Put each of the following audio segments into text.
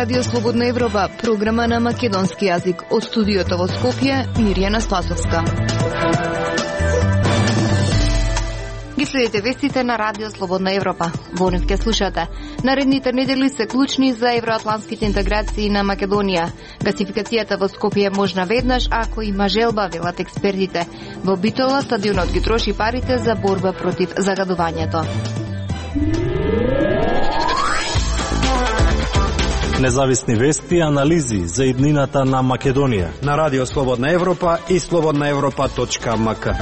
Радио Слободна Европа, програма на македонски јазик. Од студиото во Скопје, Мирјана Спасовска. Ги следите вестите на Радио Слободна Европа. Во нив ке слушате. Наредните недели се клучни за евроатлантските интеграции на Македонија. Гасификацијата во Скопје е можна веднаш ако има желба, велат експертите. Во Битола стадионот ги троши парите за борба против загадувањето. Независни вести и анализи за иднината на Македонија на Радио Слободна Европа и slobodnaevropa.mk.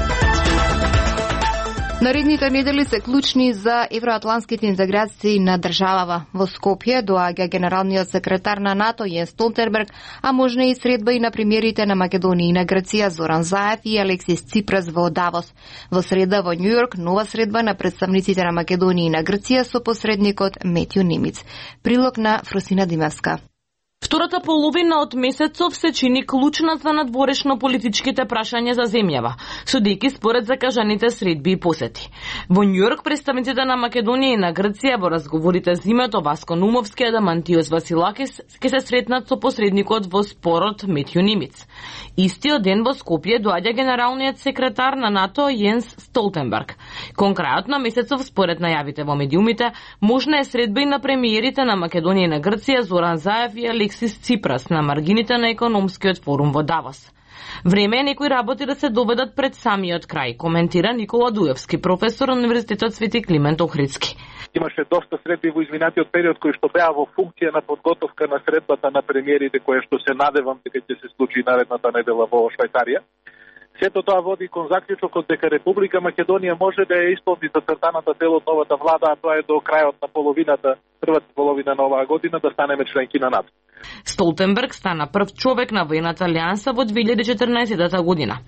Наредните недели се клучни за евроатлантските интеграции на државава. Во Скопје доаѓа генералниот секретар на НАТО Јенс Столтенберг, а можна и средба и на премиерите на Македонија и на Грција Зоран Заев и Алексис Ципрас во Давос. Во среда во Њујорк нова средба на представниците на Македонија и на Грција со посредникот Метју Немиц. Прилог на Фросина Димевска. Втората половина од месецов се чини клучна за надворешно политичките прашања за земјава, судејќи според закажаните средби и посети. Во Њујорк представниците на Македонија и на Грција во разговорите зимето Васко Нумовски и Адамантиос Василакис ќе се сретнат со посредникот во спорот Метју Немиц. Истиот ден во Скопје доаѓа генералниот секретар на НАТО Јенс Столтенберг. Кон крајот на месецов, според најавите во медиумите, можна е средба и на премиерите на Македонија и на Грција Зоран Заев и Алексис Ципрас на маргините на економскиот форум во Давос. Време е некои работи да се доведат пред самиот крај, коментира Никола Дуевски, професор на Универзитетот Свети Климент Охридски. Имаше доста средби во изминатиот период кои што беа во функција на подготовка на средбата на премиерите, која што се надевам дека ќе се случи наредната недела во Швајцарија. Сето тоа води кон заклучокот дека Република Македонија може да ја исполни зацртаната цел од новата влада, а тоа е до крајот на првата половина на оваа година да станеме членки на НАТО. Столтенберг стана прв човек на воената алијанса во 2014 година.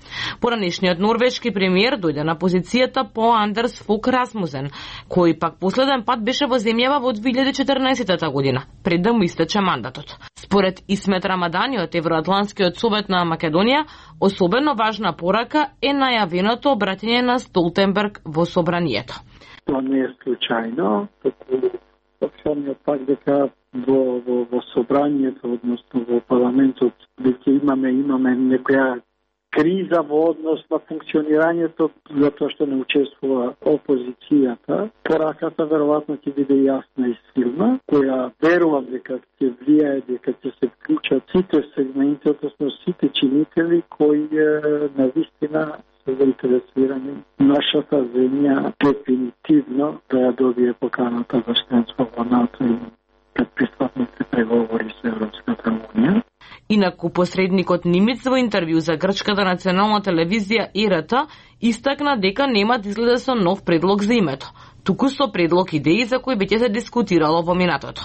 Поранешниот норвешки премиер дојде на позицијата по Андерс Фог Расмусен, кој пак последен пат беше во земјава во 2014 година, пред да му истече мандатот. Според Исмет Рамадани од Евроатлантскиот совет на Македонија, особено важна порака е најавеното обраќање на Столтенберг во собранието. Тоа не е случајно, самиот факт дека во собранието, односно во парламентот, дека имаме некоја криза во однос на функционирањето, затоа што не учествува опозицијата. Пораката веројатно ќе биде јасна и силна, која верувам дека ќе влијае, дека ќе се вклучат сите сегменти, односно сите чинители кои навистина се заинтересирани нашата земја дефинитивно да ја добие поканата за членство во НАТО и предпристапните преговори со Европската унија. Инаку посредникот Немиц во интервју за грчката национална телевизија ИРТ истакна дека нема да излезе со нов предлог за името, туку со предлог идеи за кои веќе се дискутирало во минатото.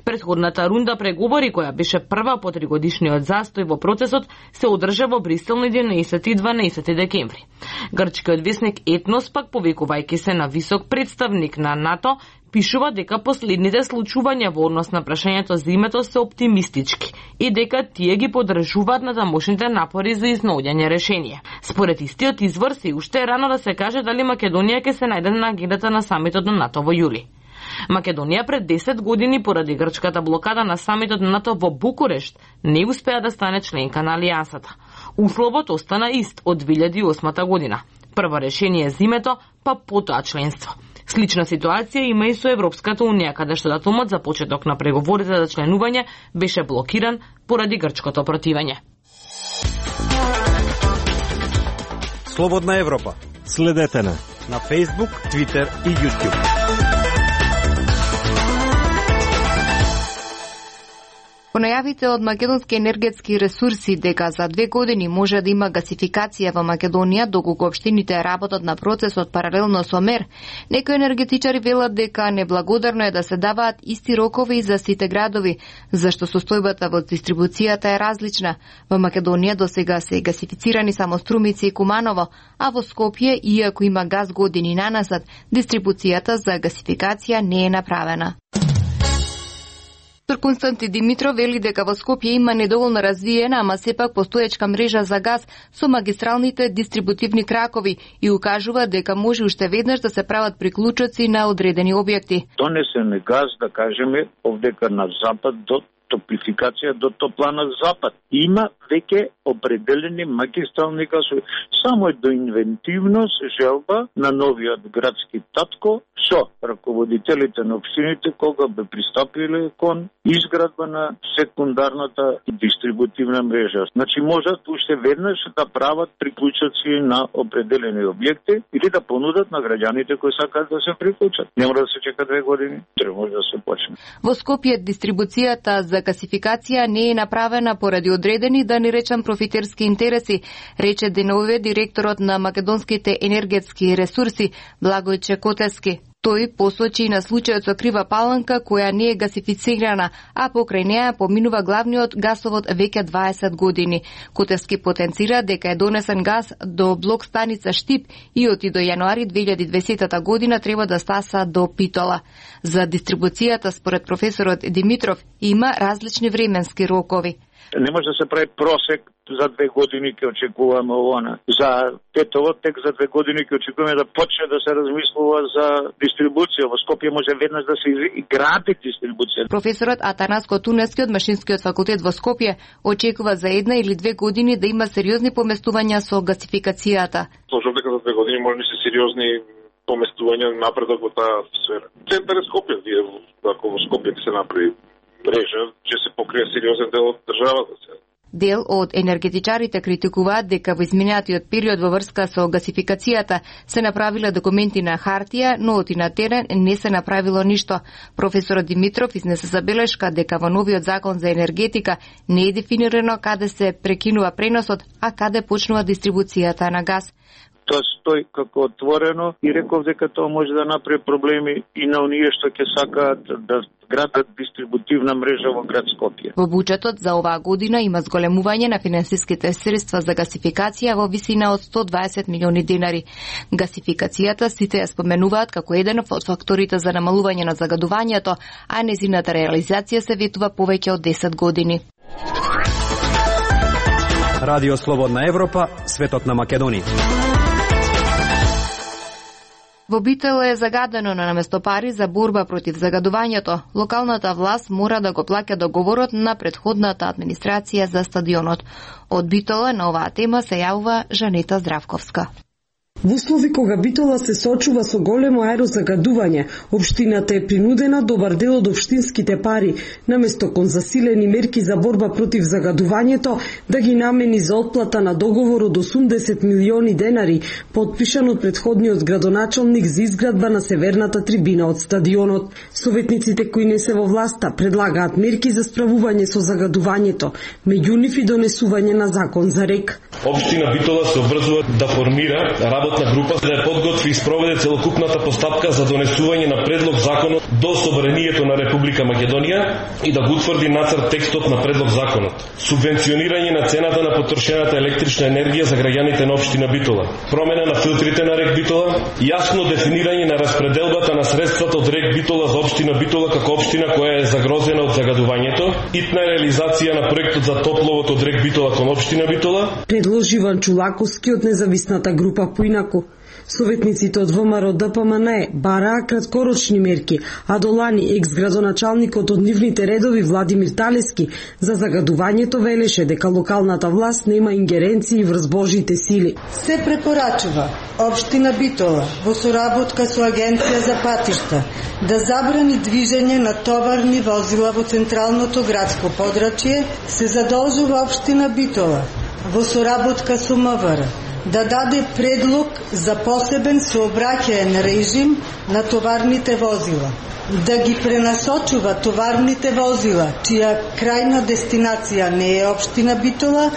Претходната рунда преговори, која беше прва по 3-годишниот застој во процесот, се одржа во Брисел на 11 и 12 декември. Грчкиот весник Етнос, пак повикувајќи се на висок представник на НАТО, пишува дека последните случувања во однос на прашањето за името се оптимистички и дека тие ги поддржуваат на тамошните напори за изнаоѓање решение. Според истиот извор се уште е рано да се каже дали Македонија ќе се најде на агендата на самитот на НАТО во јули. Македонија пред 10 години поради грчката блокада на самитот на НАТО во Букурешт не успеа да стане членка на алијансата. Условот остана ист од 2008 година. Прво решение за името, па потоа членство. Слична ситуација има и со Европската унија, каде што датумот за почеток на преговорите за членување беше блокиран поради грчкото противење. Слободна Европа. Следете на Facebook, Twitter и YouTube. По најавите од македонски енергетски ресурси дека за 2 години може да има гасификација во Македонија, доколку општините работат на процесот паралелно со мер, некои енергетичари велат дека неблагодарно е да се даваат исти рокови за сите градови, зашто состојбата во дистрибуцијата е различна. Во Македонија досега се гасифицирани само Струмици и Куманово, а во Скопје, иако има газ години наназад, дистрибуцијата за гасификација не е направена. Константи Димитров вели дека во Скопје има недоволно развиена, ама сепак постоечка мрежа за газ со магистралните дистрибутивни кракови и укажува дека може уште веднаш да се прават приклучоци на одредени објекти. Донесен е газ, да кажеме, овдека на запад до топлификација до топлана Запад. Има веќе определени магистрални гасови. Само е до инвентивност желба на новиот градски татко со раководителите на општините кога бе пристапиле кон изградба на секундарната дистрибутивна мрежа. Значи можат уште веднаш да прават приклучоци на определени објекти или да понудат на граѓаните кои сакаат да се приклучат. Не мора да се чека 2 години, треба може да се почне. Во Скопје дистрибуцијата за гасификација не е направена поради одредени, да не речам, профитерски интереси, рече деновиве директорот на македонските енергетски ресурси Благој Чекотевски. Тој посочи на случајот со Крива Паланка, која не е гасифицирана, а покрај неа поминува главниот гасовод веќе 20 години. Котевски потенцира дека е донесен газ до блок станица Штип и од до јануари 2020 година треба да стаса до Питола. За дистрибуцијата, според професорот Димитров, има различни временски рокови. Не може да се прави просек за 2 години ќе очекуваме овона. За Тетово тек за 2 години ќе очекуваме да почне да се размислува за дистрибуција. Во Скопје може веднаш да се гради дистрибуција. Професорот Атанас Котуневски од Машинскиот факултет во Скопје очекува за 1 или 2 години да има сериозни поместувања со гасификацијата. Сложам дека за 2 години може да се сериозни поместувања напредок во таа сфера. Центар е Скопје, ако во Скопје се направи мрежа, ќе се покрие сериозен дел од државата сега. Дел од енергетичарите критикуваат дека во изминатиот период во врска со гасификацијата се направиле документи на хартија, но оти на терен не се направило ништо. Професорот Димитров изнесе забелешка дека во новиот закон за енергетика не е дефинирано каде се прекинува преносот, а каде почнува дистрибуцијата на газ. Тоа стои како отворено и реков дека тоа може да направи проблеми и на оние што ќе сакаат да градат дистрибутивна мрежа во град Скопје. Во буџетот за оваа година има зголемување на финансиските средства за гасификација во висина од 120 милиони денари. Гасификацијата сите ја споменуваат како еден од факторите за намалување на загадувањето, а незината реализација се ветува повеќе од 10 години. Радио Слободна Европа, светот на Македонија. Во Битол е загадено на наместо пари за борба против загадувањето. Локалната власт мора да го плаќа договорот на претходната администрација за стадионот. Од Битола на оваа тема се јавува Жанета Здравковска. Во услови кога Битола се соочува со големо аерозагадување, општината е принудена добар дел од општинските пари, наместо кон засилени мерки за борба против загадувањето, да ги намени за отплата на договор од 80 милиони денари, потпишан од претходниот градоначалник за изградба на северната трибина од стадионот. Советниците кои не се во власта предлагаат мерки за справување со загадувањето, меѓу нив и донесување на закон за РЕК. Општина Битола се обврзува да формира работна група да ја подготви и спроведе целокупната постапка за донесување на предлог законот до Собранието на Република Македонија и да го утврди нацрт текстот на предлог законот. Субвенционирање на цената на потрошената електрична енергија за граѓаните на општина Битола. Промена на филтрите на РЕК Битола, јасно дефинирање на распределбата на средствата од РЕК Битола за општина Битола како општина која е загрозена од загадувањето, итна реализација на проектот за топловод од РЕК Битола кон општина Битола. Предложи Иван Чулаковски од независната група Поинаку. Советниците од ВМРО ДПМН бараа краткорочни мерки, а до лани екс-градоначалникот од нивните редови Владимир Талески за загадувањето велеше дека локалната власт нема ингеренции врз Божите сили. Се препорачува општина Битола во соработка со Агенција за патишта да забрани движење на товарни возила во централното градско подрачје, се задолжува општина Битола во соработка со МВР да даде предлог за посебен сообраќаен режим на товарните возила, да ги пренасочува товарните возила, чија крајна дестинација не е општина Битола,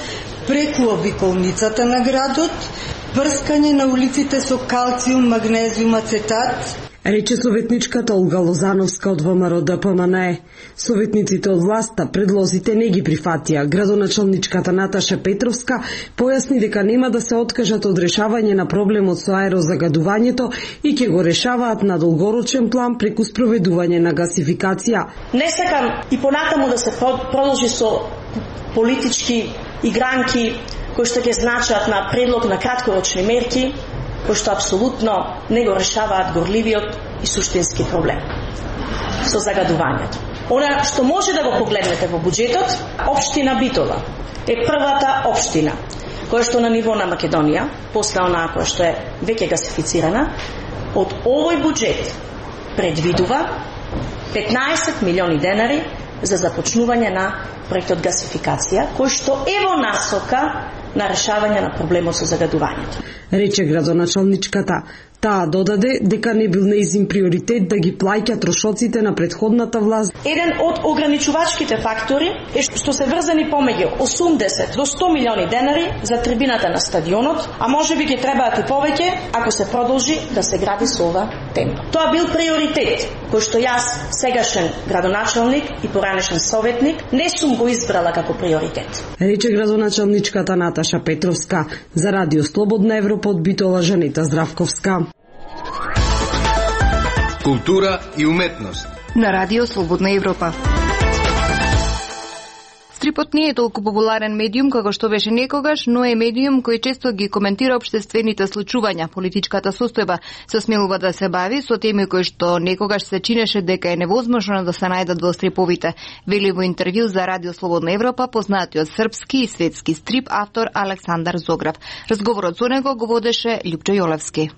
преку обиколницата на градот, прскање на улиците со калциум, магнезиум, ацетат, рече советничката Олга Лозановска од ВМРО ДПМН. Советниците од власта предлозите не ги прифатија. Градоначалничката Наташа Петровска појасни дека нема да се откажат од решавање на проблемот со аерозагадувањето и ќе го решаваат на долгорочен план преку спроведување на гасификација. Не сакам и понатаму да се продолжи со политички игранки кои што ќе значат на предлог на краткорочни мерки, кои што апсолутно не го решаваат горливиот и суштински проблем со загадувањето. Она што може да го погледнете во буџетот, општина Битола е првата општина која што на ниво на Македонија, после онаа која што е веќе гасифицирана, од овој буџет предвидува 15 милиони денари за започнување на проектот гасификација, кој што е во насока на решавање на проблемот со загадувањето. Рече градоначалничката. Таа додаде дека не бил нејзин приоритет да ги плаќа трошоците на претходната власт. Еден од ограничувачките фактори е што се врзани помеѓу 80 до 100 милиони денари за трибината на стадионот, а можеби ќе требаат и повеќе ако се продолжи да се гради со ова темпо. Тоа бил приоритет кој што јас, сегашен градоначалник и поранешен советник, не сум го избрала како приоритет. Рече градоначалничката Наташа Петровска. За Радио Слободна Европа од Битола Жанета Здравковска. Култура и уметност. На Радио Слободна Европа. Стрипот не е толку популарен медиум како што беше некогаш, но е медиум кој често ги коментира општествените случувања, политичката состојба, се смелува да се бави со теми кои што некогаш се чинеше дека е невозможно да се најдат во стриповите. Вели во интервју за Радио Слободна Европа познатиот српски и светски стрип автор Александар Зограф. Разговорот со него го водеше Љупчо Јолевски.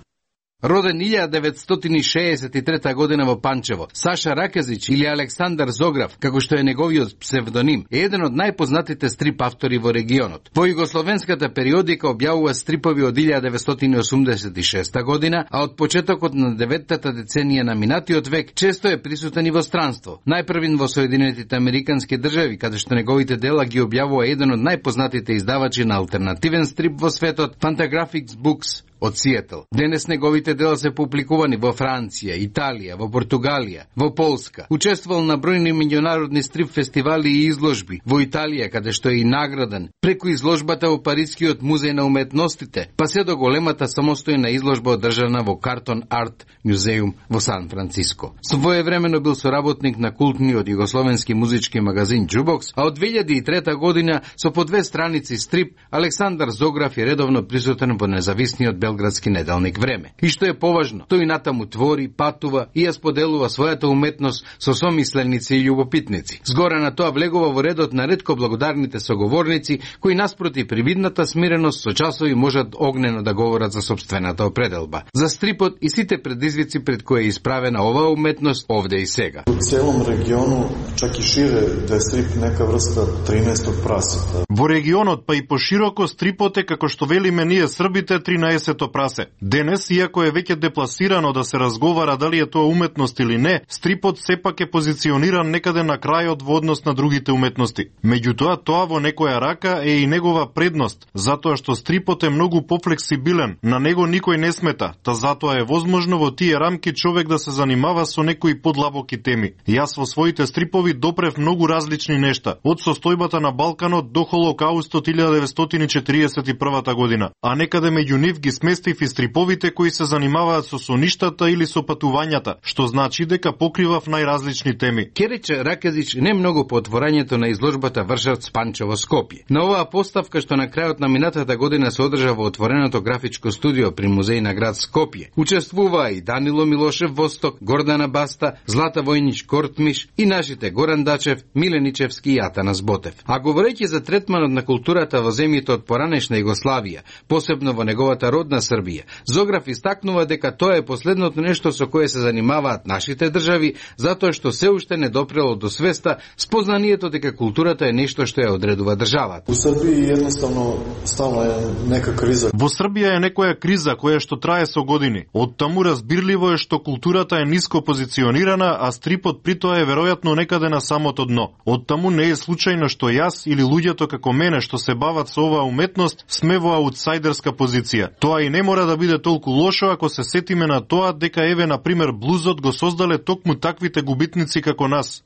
Роден 1963 година во Панчево, Саша Ракезич или Александар Зограф, како што е неговиот псевдоним, е еден од најпознатите стрип автори во регионот. Во југословенската периодика објавува стрипови од 1986 година, а од почетокот на 9-та деценија на минатиот век често е присутен и во странство. Најпрвин во Соединетите Американски држави, каде што неговите дела ги објавува еден од најпознатите издавачи на алтернативен стрип во светот, Fantagraphics Books од Сиетл. Денес неговите дела се публикувани во Франција, Италија, во Португалија, во Полска. Учествувал на бројни меѓународни стрип фестивали и изложби во Италија, каде што е и награден, преку изложбата во Парискиот музеј на уметностите, па се до големата самостојна изложба одржана во Картон Арт музеум во Сан Франциско. Своевремено бил соработник на култниот југословенски музички магазин Jukebox, а од 2003 година со по 2 страници стрип Александар Зограф е редовно присутен во независниот белградски неделник Време. И што е поважно, тој натаму твори, патува и ја споделува својата уметност со somисленици и љубопитници. Згоре на тоа влегува во редот на ретко благодарните соговорници кои наспроти привидната смиреност со часови можат огнено да говорат за сопствената определба. За стрипот и сите предизвици пред кои е исправена оваа уметност овде и сега. У целом региону, чак и шире, да е стрип нека врста 13 прасета. Во регионот, па и пошироко, стрипот е, како што велиме ние србите, 13-то прасе. Денес, иако е веќе депласирано да се разговара дали е тоа уметност или не, стрипот сепак е позициониран некаде на крајот во однос на другите уметности. Меѓутоа, тоа во некоја рака е и негова предност, затоа што стрипот е многу пофлексибилен, на него никој не смета, та затоа е возможно во тие рамки човек да се занимава со некои подлабоки теми. Јас во своите стрипови допрев многу различни нешта, од состојбата на Балканот до Холокаустот 1941 година, а некаде меѓу нив ги сместив и стриповите кои се занимаваат со соништата или со патувањата, што значи дека покривав најразлични теми. Керече Ракезич не многу по отворањето на изложбата Вршавц Панчево Скопје. На оваа поставка што на крајот на минатата година се одржа во отвореното графичко студио при музеј на град Скопје, учествуваа и Данило Милошев Восток, Гордана Баста, Злата Војнич Кортмиш и нашите Горан Дачев, Миленичевски и Атанас Ботев. А говорејќи за третманот на културата во земјите од поранешна Југославија, посебно во неговата родна Србија, Зограф истакнува дека тоа е последното нешто со кое се занимаваат нашите држави, затоа што се уште не допрело до свеста спознанието дека културата е нешто што ја одредува државата. У Србија едноставно стално е нека криза. Во Србија е некоја криза која што трае со години. Од таму разбирливо е што културата е ниско позиционирана, а стрипот при тоа е веројатно некаде на самото дно. Од таму не е случајно што јас или луѓето како мене што се бават со оваа уметност сме во аутсайдерска позиција. Тоа и не мора да биде толку лошо ако се сетиме на тоа дека еве на пример блузот го создале токму таквите губитници како нас.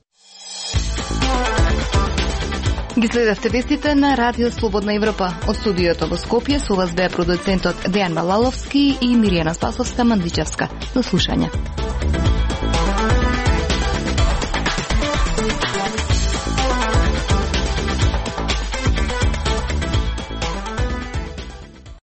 Ги следевте вестите на Радио Слободна Европа. Од студиото во Скопје со вас беа продуцентот Дејан Балаловски и Миријана Спасовска-Мандичевска. До слушање.